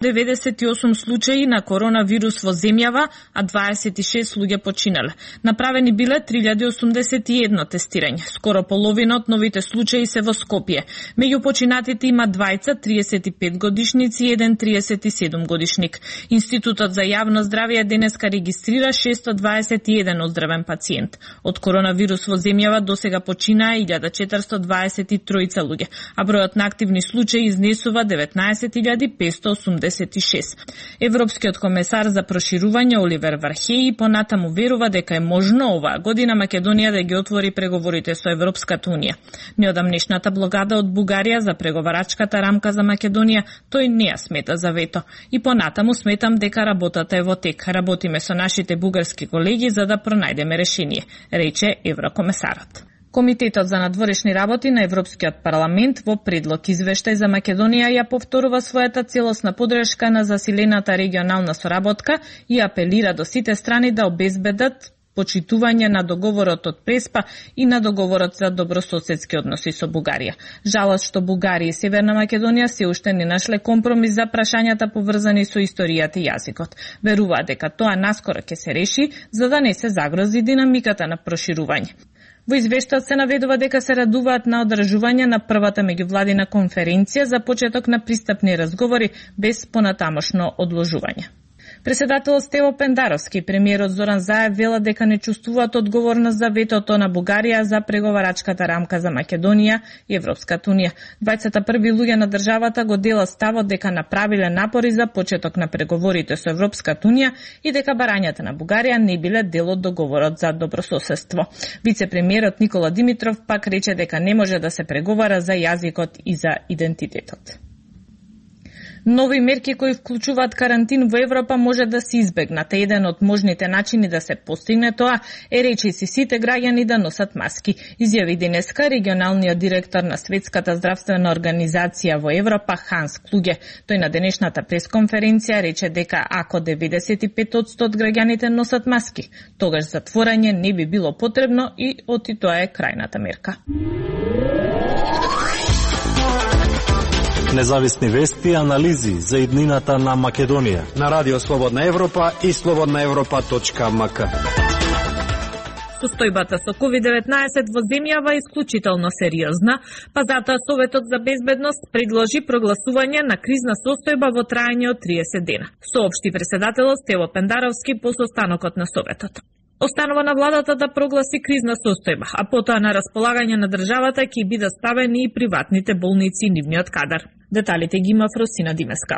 98 случаи на коронавирус во земјава, а 26 луѓе починале. Направени биле 3081 тестирања. Скоро половина од новите случаи се во Скопје. Меѓу починатите има двајца 35 годишници и еден 37 годишник. Институтот за јавно здравје денеска регистрира 621 оздравен пациент. Од коронавирус во земјава досега починаа 1423 луѓе, а бројот на активни случаи изнесува 19586. Европскиот комесар за проширување Оливер Вархеи понатаму верува дека е можно оваа година Македонија да ги отвори преговорите со Европската унија. Неодамнешната блокада од Бугарија за преговарачката рамка за Македонија тој не ја смета за вето. И понатаму сметам дека работата е во тек. Работиме со нашите бугарски колеги за да пронајдеме решение, рече еврокомесарот. Комитетот за надворешни работи на Европскиот парламент во предлог извештај за Македонија ја повторува својата целосна подршка на засилената регионална соработка и апелира до сите страни да обезбедат почитување на договорот од Преспа и на договорот за добрососедски односи со Бугарија. Жалост што Бугарија и Северна Македонија се уште не нашле компромис за прашањата поврзани со историјата и јазикот. Веруваат дека тоа наскоро ќе се реши за да не се загрози динамиката на проширување. Во извештајот се наведува дека се радуваат на одржување на првата меѓувладина конференција за почеток на пристапни разговори без понатамошно одложување. Председателот Стево Пендаровски и премиерот Зоран Заев велат дека не чувствуваат одговорност за ветото на Бугарија за преговарачката рамка за Македонија и Европската унија. Двајцата први луѓе на државата го делат ставот дека направиле напори за почеток на преговорите со Европската унија и дека барањата на Бугарија не биле дел од договорот за добрососедство. Вице-премиерот Никола Димитров пак рече дека не може да се преговара за јазикот и за идентитетот. Нови мерки кои вклучуваат карантин во Европа може да се избегнат. Еден од можните начини да се постигне тоа е речиси сите граѓани да носат маски. Изјави денеска регионалниот директор на Светската здравствена организација во Европа Ханс Клуге. Тој на денешната пресконференција рече дека ако 95% од граѓаните носат маски, тогаш затворање не би било потребно и оти тоа е крајната мерка. Независни вести и анализи за иднината на Македонија на Радио Слободна Европа и slobodnaevropa.mk. Состојбата со COVID-19 во земјава е исклучително сериозна, па затоа Советот за безбедност предложи прогласување на кризна состојба во трајање од 30 дена. Соопшти председателот Стево Пендаровски по состанокот на Советот. Останува на владата да прогласи кризна состојба, а потоа на располагање на државата ќе бидат ставени и приватните болници и нивниот кадар. Деталите ги има Фросина Димеска.